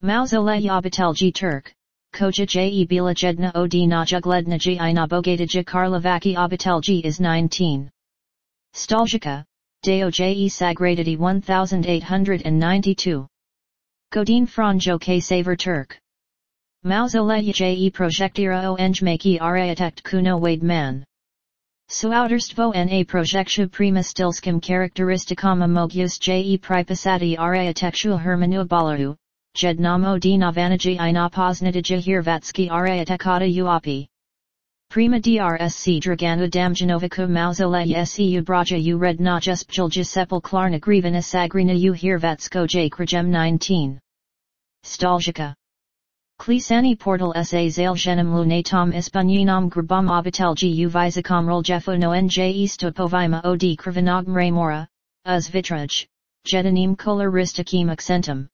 Mausolei obitelji Turk, Koja je bila jedna od najuglednijih I nabogatijih Karlovaki obitelji is 19. Staljica, Doje sagraditi 1892. Godine Franjo K. Saver Turk. Mausolei je projektira onjmaki architekt kuno wade man. Suouderstvo na projektu prima stilskim karakteristikama mogius je pripasati architectu hermanu balaru, jednamo di novanaji I napoznatiji hirvatski architekata uopi. Prima drsc draganu damjanoviku mausolei seu braja u redna juspjulja sepulklarna grivana sagrina u hirvatsko j krajem 19. Staljica. Klisani portal sa zaljenim lunatom ispanjinom grabam obitelji u vizakom roljefo no nje stopovima od krvanogm remora, uz vitraj, jetanim koloristikim accentum.